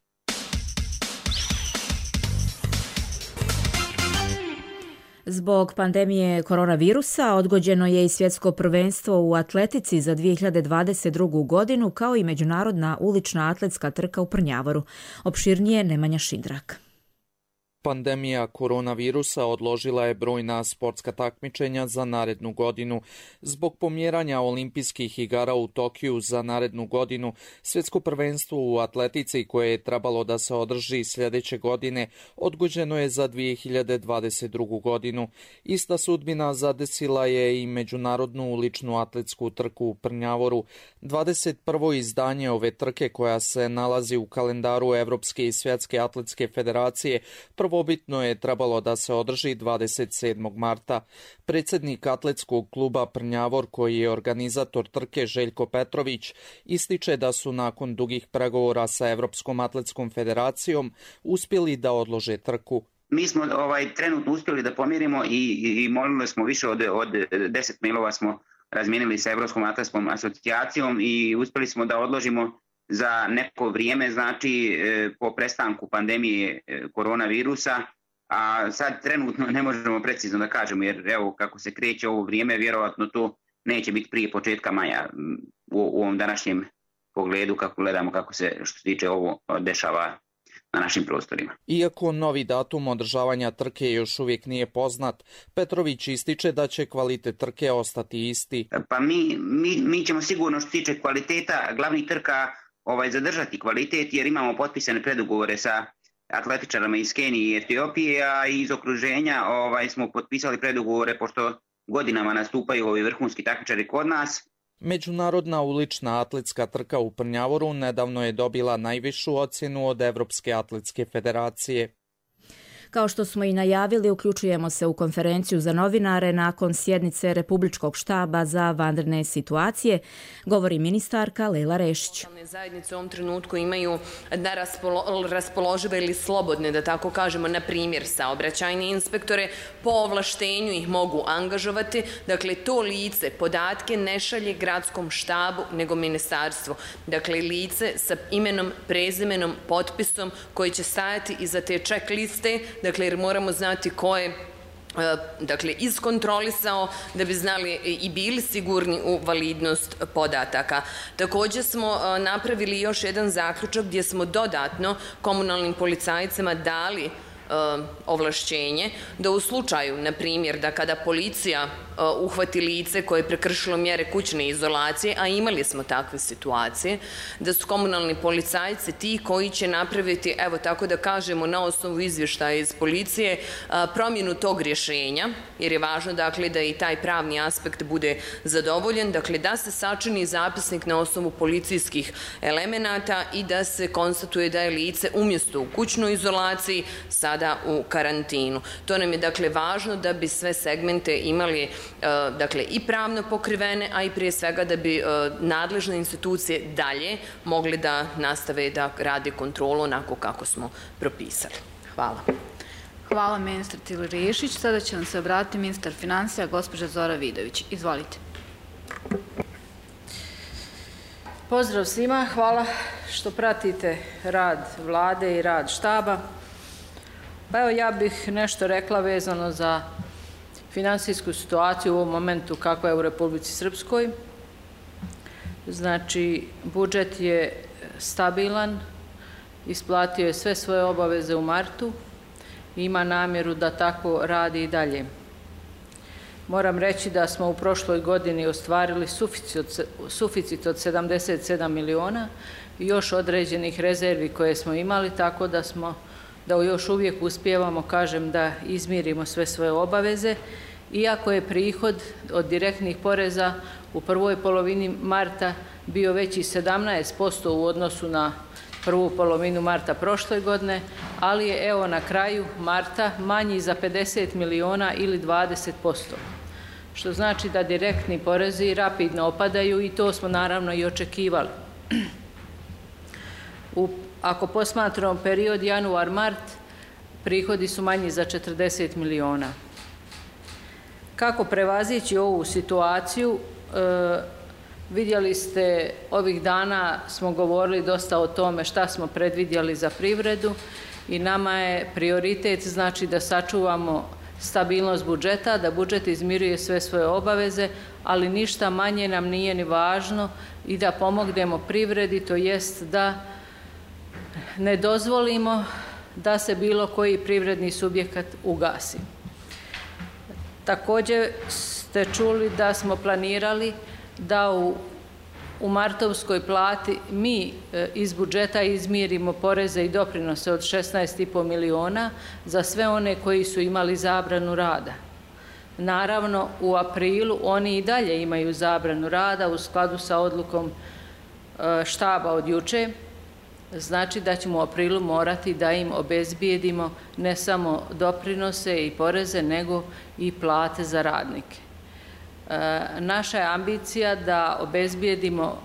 Zbog pandemije koronavirusa odgođeno je i svjetsko prvenstvo u atletici za dvije hiljade dvadeset drugu. godinu, kao i međunarodna ulična atletska trka u Prnjavoru. Opširnije Nemanja Šindrak. Pandemija koronavirusa odložila je brojna sportska takmičenja za narednu godinu. Zbog pomjeranja olimpijskih igara u Tokiju za narednu godinu, svjetsko prvenstvo u atletici koje je trebalo da se održi sljedeće godine odgođeno je za dvije hiljade dvadeset drugu. godinu. Ista sudbina zadesila je i međunarodnu uličnu atletsku trku u Prnjavoru. dvadeset prvo izdanje ove trke, koja se nalazi u kalendaru Evropske i Svjetske atletske federacije, prvobitno je trebalo da se održi dvadeset sedmog marta. Predsjednik atletskog kluba Prnjavor, koji je organizator trke, Željko Petrović, ističe da su nakon dugih pregovora sa Evropskom atletskom federacijom uspjeli da odlože trku. Mi smo ovaj trenutno uspjeli da pomirimo i, i molili smo više od, od deset mailova smo razmijenili sa Evropskom atletskom asocijacijom i uspjeli smo da odložimo za neko vrijeme, znači po prestanku pandemije koronavirusa, a sad trenutno ne možemo precizno da kažemo, jer evo kako se kreće ovo vrijeme, vjerovatno to neće biti prije početka maja u, u ovom današnjem pogledu, kako gledamo kako se što se tiče ovo dešava na našim prostorima. Iako novi datum održavanja trke još uvijek nije poznat, Petrović ističe da će kvalitet trke ostati isti. Pa mi, mi, mi ćemo sigurno što se tiče kvaliteta glavnih trka ovaj, zadržati kvalitet, jer imamo potpisane predugovore sa atletičarama iz Kenije i Etiopije, a iz okruženja ovaj, smo potpisali predugovore pošto godinama nastupaju ovi vrhunski takmičari kod nas. Međunarodna ulična atletska trka u Prnjavoru nedavno je dobila najvišu ocjenu od Evropske atletske federacije. Kao što smo i najavili, uključujemo se u konferenciju za novinare nakon sjednice Republičkog štaba za vanredne situacije, govori ministarka Lejla Rešić. Zajednice u ovom trenutku imaju da raspolo, raspoložive ili slobodne, da tako kažemo, na primjer saobraćajne inspektore, po ovlaštenju ih mogu angažovati. Dakle, to lice podatke ne šalje gradskom štabu, nego ministarstvu. Dakle, lice sa imenom, prezimenom, potpisom koji će stajati iza te checkliste. Dakle, jer moramo znati ko je dakle, iskontrolisao da bi znali i bili sigurni u validnost podataka. Također smo napravili još jedan zaključak gdje smo dodatno komunalnim policajcima dali ovlašćenje da u slučaju, na primjer, da kada policija uhvati lice koje je prekršilo mjere kućne izolacije, a imali smo takve situacije, da su komunalni policajci ti koji će napraviti, evo tako da kažemo, na osnovu izvještaja iz policije, promjenu tog rješenja, jer je važno dakle da i taj pravni aspekt bude zadovoljen, dakle da se sačini zapisnik na osnovu policijskih elemenata i da se konstatuje da je lice umjesto u kućnoj izolaciji sada u karantinu. To nam je dakle važno da bi sve segmente imali dakle i pravno pokrivene, a i prije svega da bi nadležne institucije dalje mogli da nastave da rade kontrolu onako kako smo propisali. Hvala. Hvala ministar Tili Rešić. Sada će nam se obratiti ministar financija, gospođa Zora Vidović. Izvolite. Pozdrav svima. Hvala što pratite rad vlade i rad štaba. Pa evo ja bih nešto rekla vezano za finansijsku situaciju u ovom momentu kakva je u Republici Srpskoj. Znači, budžet je stabilan, isplatio je sve svoje obaveze u martu i ima namjeru da tako radi i dalje. Moram reći da smo u prošloj godini ostvarili suficit od sedamdeset sedam miliona i još određenih rezervi koje smo imali, tako da smo da još uvijek uspijevamo, kažem, da izmirimo sve svoje obaveze, iako je prihod od direktnih poreza u prvoj polovini marta bio veći sedamnaest posto u odnosu na prvu polovinu marta prošle godine, ali je evo na kraju marta manji za pedeset miliona ili dvadeset posto, što znači da direktni porezi rapidno opadaju i to smo naravno i očekivali. U Ako posmatramo period januar-mart, prihodi su manji za četrdeset miliona. Kako prevazići ovu situaciju? E, vidjeli ste, ovih dana smo govorili dosta o tome šta smo predvidjeli za privredu i nama je prioritet znači da sačuvamo stabilnost budžeta, da budžet izmiruje sve svoje obaveze, ali ništa manje nam nije ni važno i da pomognemo privredi, to jest da ne dozvolimo da se bilo koji privredni subjekat ugasi. Također ste čuli da smo planirali da u, u martovskoj plati mi iz budžeta izmirimo poreze i doprinose od šesnaest i po miliona za sve one koji su imali zabranu rada. Naravno, u aprilu oni i dalje imaju zabranu rada u skladu sa odlukom štaba od juče. Znači da ćemo u aprilu morati da im obezbijedimo ne samo doprinose i poreze, nego i plate za radnike. E, naša je ambicija da obezbijedimo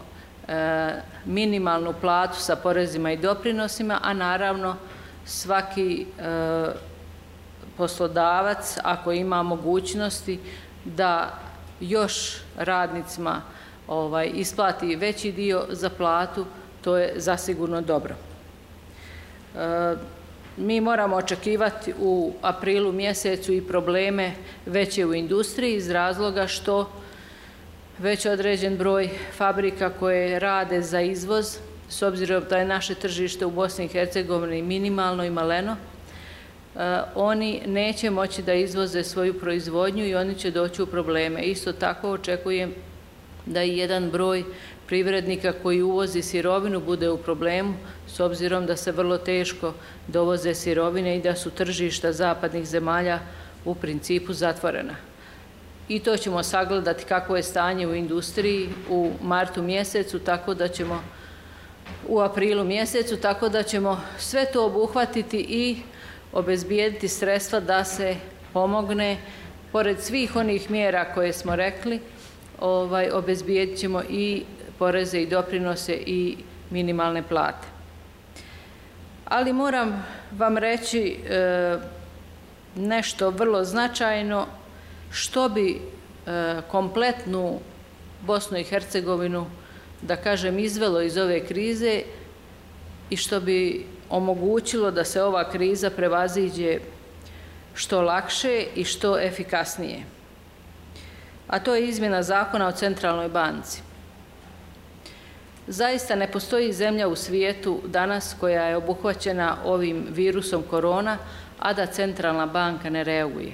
e, minimalnu platu sa porezima i doprinosima, a naravno svaki e, poslodavac, ako ima mogućnosti da još radnicima ovaj, isplati veći dio za platu, to je zasigurno dobro. E, mi moramo očekivati u aprilu mjesecu i probleme veće u industriji iz razloga što već određen broj fabrika koje rade za izvoz, s obzirom da je naše tržište u Bosni i Hercegovini minimalno i maleno, e, oni neće moći da izvoze svoju proizvodnju i oni će doći u probleme. Isto tako očekujem da i jedan broj privrednika koji uvozi sirovinu bude u problemu, s obzirom da se vrlo teško dovoze sirovine i da su tržišta zapadnih zemalja u principu zatvorena. I to ćemo sagledati kako je stanje u industriji u martu mjesecu, tako da ćemo u aprilu mjesecu, tako da ćemo sve to obuhvatiti i obezbijediti sredstva da se pomogne, pored svih onih mjera koje smo rekli, ovaj, obezbijedit ćemo i poreze i doprinose i minimalne plate. Ali moram vam reći e, nešto vrlo značajno što bi e, kompletnu Bosnu i Hercegovinu, da kažem, izvelo iz ove krize i što bi omogućilo da se ova kriza prevaziđe što lakše i što efikasnije. A to je izmjena zakona o centralnoj banci. Zaista ne postoji zemlja u svijetu danas koja je obuhvaćena ovim virusom korona, a da centralna banka ne reaguje.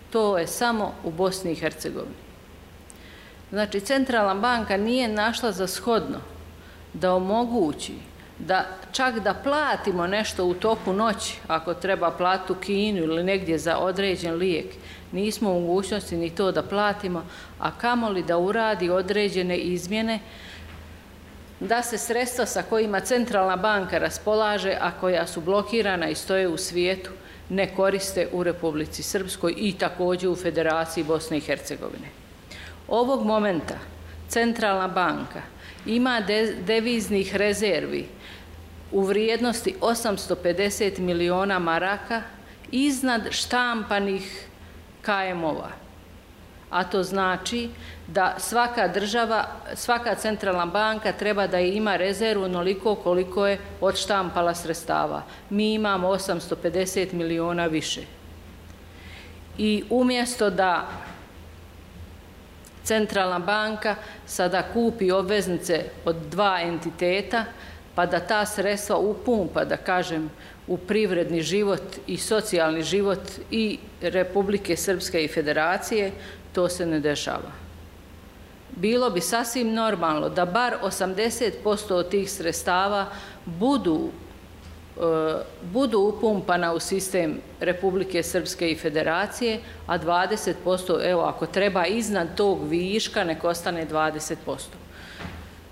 To je samo u Bosni i Hercegovini. Znači, centralna banka nije našla za shodno da omogući da čak da platimo nešto u toku noći, ako treba platu kinu ili negdje za određen lijek, nismo u mogućnosti ni to da platimo, a kamoli da uradi određene izmjene, da se sredstva sa kojima centralna banka raspolaže, a koja su blokirana i stoje u svijetu, ne koriste u Republici Srpskoj i također u Federaciji Bosne i Hercegovine. Ovog momenta centralna banka ima deviznih rezervi u vrijednosti osamsto pedeset miliona maraka iznad štampanih ka em ova. A to znači da svaka država, svaka centralna banka treba da ima rezervu onoliko koliko je odštampala sredstava. Mi imamo osamsto pedeset miliona više. I umjesto da centralna banka sada kupi obveznice od dva entiteta, pa da ta sredstva upumpa, da kažem, u privredni život i socijalni život i Republike Srpske i Federacije, to se ne dešava. Bilo bi sasvim normalno da bar osamdeset posto od tih sredstava budu, e, budu upumpana u sistem Republike Srpske i Federacije, a dvadeset posto, evo, ako treba iznad tog viška, nek ostane dvadeset posto.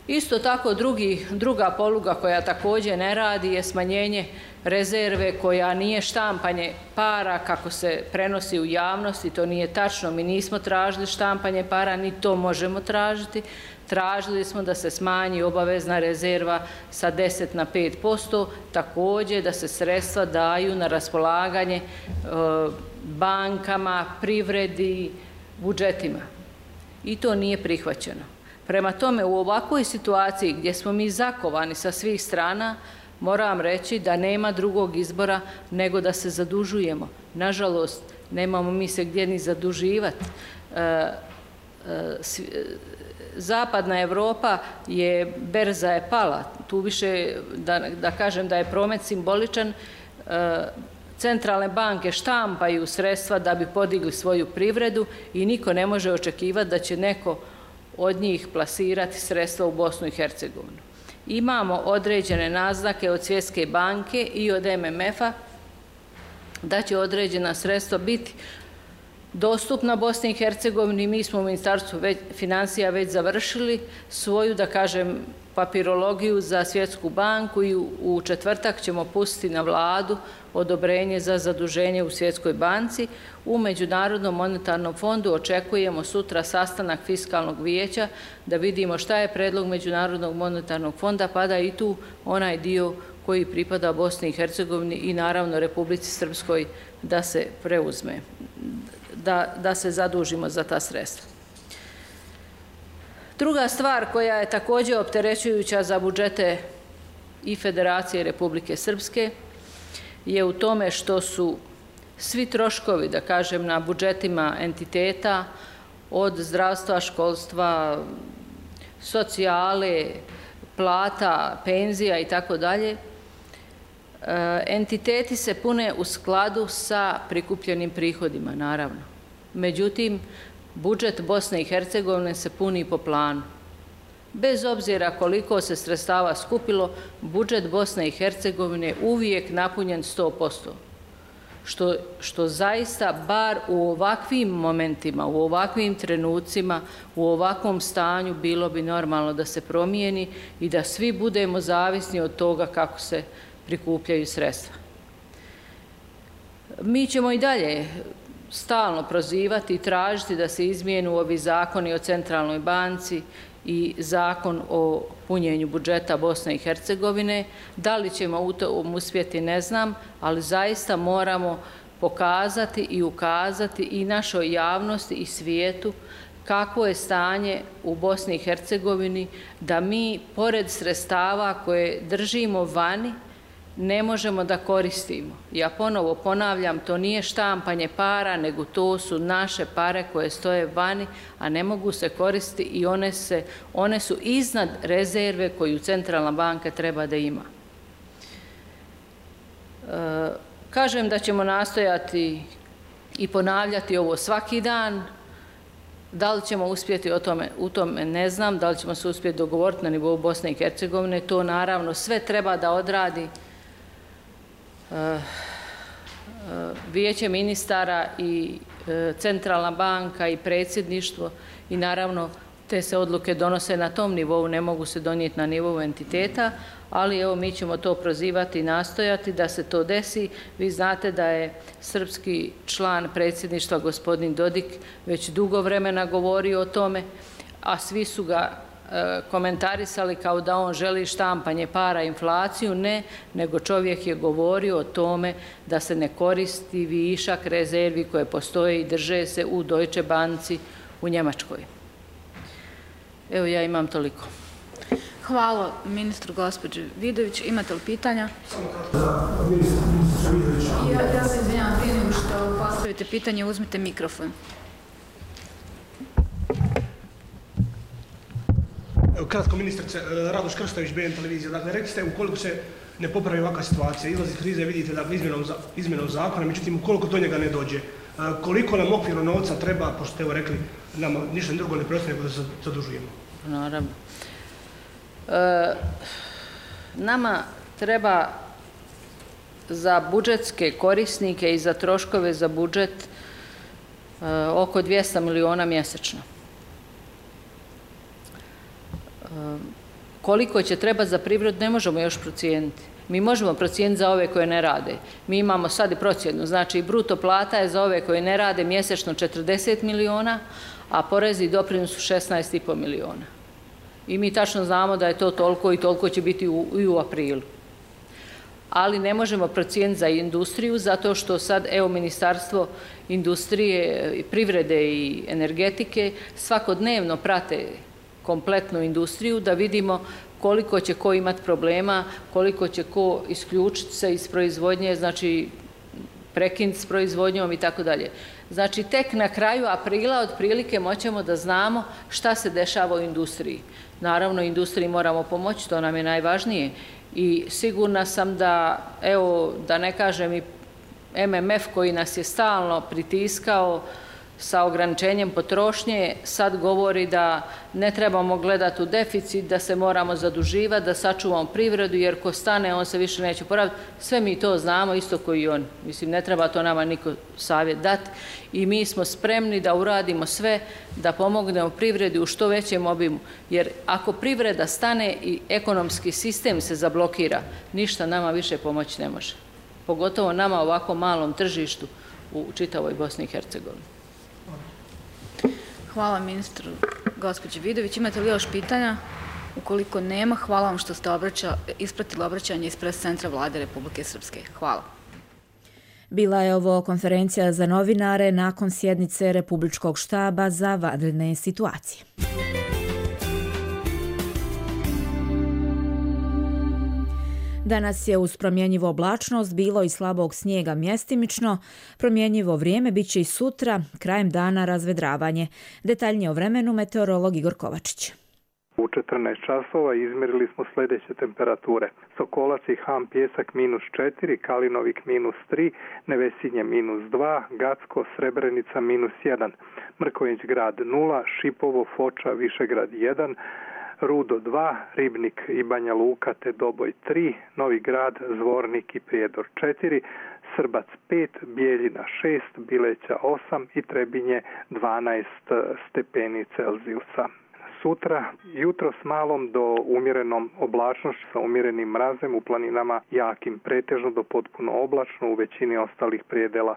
Isto tako drugi, druga poluga koja također ne radi je smanjenje rezerve koja nije štampanje para kako se prenosi u javnosti. To nije tačno. Mi nismo tražili štampanje para, ni to možemo tražiti. Tražili smo da se smanji obavezna rezerva sa deset na pet posto, također da se sredstva daju na raspolaganje e, bankama, privredi, budžetima. I to nije prihvaćeno. Prema tome, u ovakvoj situaciji gdje smo mi zakovani sa svih strana, moram reći da nema drugog izbora nego da se zadužujemo. Nažalost, nemamo mi se gdje ni zaduživati. E, e, Zapadna Evropa je, berza je pala. Tu više, da, da kažem da je promet simboličan, centralne banke štampaju sredstva da bi podigli svoju privredu i niko ne može očekivati da će neko od njih plasirati sredstva u Bosnu i Hercegovinu. Imamo određene naznake od Svjetske banke i od M M F-a da će određena sredstva biti dostupna Bosni i Hercegovini. Mi smo u Ministarstvu financija već završili svoju, da kažem, papirologiju za Svjetsku banku i u četvrtak ćemo pustiti na vladu odobrenje za zaduženje u Svjetskoj banci. U Međunarodnom monetarnom fondu očekujemo sutra sastanak fiskalnog vijeća da vidimo šta je predlog Međunarodnog monetarnog fonda, pa da i tu onaj dio koji pripada Bosni i Hercegovini i naravno Republici Srpskoj da se preuzme, da, da se zadužimo za ta sredstva. Druga stvar koja je također opterećujuća za budžete i Federacije Republike Srpske je u tome što su svi troškovi, da kažem, na budžetima entiteta od zdravstva, školstva, socijale, plata, penzija i tako dalje, entiteti se pune u skladu sa prikupljenim prihodima, naravno. Međutim, budžet Bosne i Hercegovine se puni po planu. Bez obzira koliko se sredstava skupilo, budžet Bosne i Hercegovine je uvijek napunjen sto posto. Što, što zaista, bar u ovakvim momentima, u ovakvim trenucima, u ovakvom stanju, bilo bi normalno da se promijeni i da svi budemo zavisni od toga kako se prikupljaju sredstva. Mi ćemo i dalje stalno prozivati i tražiti da se izmijenu ovi zakoni o Centralnoj banci i zakon o punjenju budžeta Bosne i Hercegovine. Da li ćemo u tom uspjeti, ne znam, ali zaista moramo pokazati i ukazati i našoj javnosti i svijetu kakvo je stanje u Bosni i Hercegovini, da mi, pored sredstava koje držimo vani, ne možemo da koristimo. Ja ponovo ponavljam, to nije štampanje para, nego to su naše pare koje stoje vani, a ne mogu se koristiti i one, se, one su iznad rezerve koju Centralna banka treba da ima. E, kažem da ćemo nastojati i ponavljati ovo svaki dan. Da li ćemo uspjeti o tome, u tome ne znam, da li ćemo se uspjeti dogovoriti na nivou Bosne i Hercegovine, to naravno sve treba da odradi Vijeće ministara i Centralna banka i predsjedništvo i naravno te se odluke donose na tom nivou, ne mogu se donijeti na nivou entiteta, ali evo mi ćemo to prozivati i nastojati da se to desi. Vi znate da je srpski član predsjedništva gospodin Dodik već dugo vremena govorio o tome, a svi su ga komentarisali kao da on želi štampanje para, inflaciju. Ne, nego čovjek je govorio o tome da se ne koristi višak rezervi koje postoje i drže se u Deutsche Banci u Njemačkoj. Evo, ja imam toliko. Hvala ministru gospođe Vidović. Imate li pitanja? Ja, ja se izvinjam, prije nego što postavite pitanje, uzmite mikrofon. Kratko, ministrice, Radoš Krstović, B N televizija. Dakle, rekli ste, ukoliko se ne popravi ovakva situacija, izlazi krize, vidite da izmjenom, izmjenom zakona, međutim, ukoliko do njega ne dođe, koliko nam okvirno novca treba, pošto ste evo rekli, nama ništa drugo ne preostaje nego da se zadužujemo? Naravno. E, nama treba za budžetske korisnike i za troškove za budžet e, oko dvjesto miliona mjesečno. Koliko će treba za privredu ne možemo još procijeniti. Mi možemo procijeniti za ove koje ne rade. Mi imamo sad i procjenu, znači bruto plata je za ove koje ne rade mjesečno četrdeset miliona, a porezi i doprinos su šesnaest i po miliona. I mi tačno znamo da je to toliko i toliko će biti u, i u aprilu. Ali ne možemo procijeniti za industriju, zato što sad, evo, Ministarstvo industrije, privrede i energetike svakodnevno prate kompletnu industriju, da vidimo koliko će ko imati problema, koliko će ko isključiti se iz proizvodnje, znači prekinuti s proizvodnjom i tako dalje. Znači, tek na kraju aprila otprilike moćemo da znamo šta se dešava u industriji. Naravno, industriji moramo pomoći, to nam je najvažnije. i sigurna sam da, evo, da ne kažem i M M F koji nas je stalno pritiskao sa ograničenjem potrošnje, sad govori da ne trebamo gledati u deficit, da se moramo zaduživati, da sačuvamo privredu, jer ko stane, on se više neće poraviti. Sve mi to znamo, isto koji i on. Mislim, ne treba to nama niko savjet dati. I mi smo spremni da uradimo sve, da pomognemo privredi u što većem obimu. Jer ako privreda stane i ekonomski sistem se zablokira, ništa nama više pomoći ne može. Pogotovo nama ovako malom tržištu u čitavoj Bosni i Hercegovini. Hvala ministru gospođi Vidović. Imate li još pitanja? Ukoliko nema, hvala vam što ste obraća, ispratili obraćanje iz pres centra Vlade Republike Srpske. Hvala. Bila je ovo konferencija za novinare nakon sjednice Republičkog štaba za vanredne situacije. Danas je uz promjenjivu oblačnost bilo i slabog snijega mjestimično. Promjenjivo vrijeme bit će i sutra, krajem dana razvedravanje. Detaljnije o vremenu meteorolog Igor Kovačić. U četrnaest časova izmjerili smo sljedeće temperature. Sokolac i Ham Pjesak minus četiri, Kalinovik minus tri, Nevesinje minus dva, Gacko, Srebrenica minus jedan, Mrkonjić grad nula, Šipovo, Foča, Višegrad jedan, Rudo dva, Ribnik i Banja Luka te Doboj tri, Novi Grad, Zvornik i Prijedor četiri, Srbac pet, Bijeljina šest, Bileća osam i Trebinje dvanaest stepeni Celzijusa. Sutra, jutro s malom do umjerenom oblačnošću sa umjerenim mrazem, u planinama jakim, pretežno do potpuno oblačno, u većini ostalih prijedela.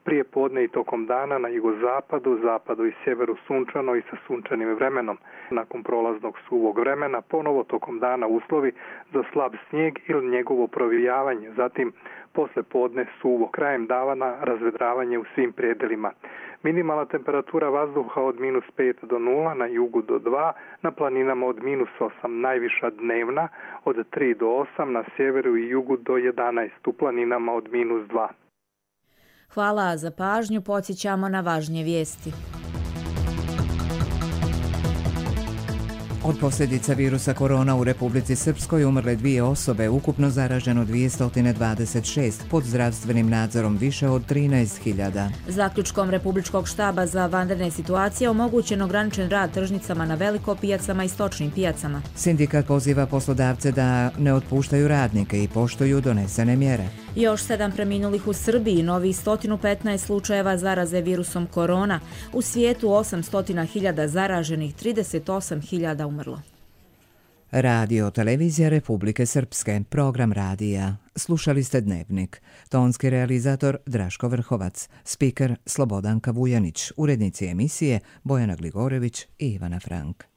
Prije podne i tokom dana na jugozapadu, zapadu i sjeveru sunčano i sa sunčanim vremenom. Nakon prolaznog suvog vremena ponovo tokom dana uslovi za slab snijeg ili njegovo provijavanje. Zatim posle podne suvo, krajem dana razvedravanje u svim prijedelima. Minimalna temperatura vazduha od minus pet do nula, na jugu do dva, na planinama od minus osam, najviša dnevna od tri do osam, na sjeveru i jugu do jedanaest, u planinama od minus dva. Hvala za pažnju, podsjećamo na važnije vijesti. Od posljedica virusa korona u Republici Srpskoj umrle dvije osobe, ukupno zaraženo dvjesto dvadeset šest, pod zdravstvenim nadzorom više od trinaest hiljada. Zaključkom Republičkog štaba za vanredne situacije omogućen ograničen rad tržnicama na veliko pijacama i stočnim pijacama. Sindikat poziva poslodavce da ne otpuštaju radnike i poštuju donesene mjere. Još sedam preminulih u Srbiji, novih sto petnaest slučajeva zaraze virusom korona. U svijetu osamsto hiljada zaraženih, trideset osam hiljada umrlo. Radio Televizija Republike Srpske, program radija. Slušali ste Dnevnik. Tonski realizator Draško Vrhovac, spiker Slobodanka Vujanić, urednici emisije Bojana Gligorević i Ivana Frank.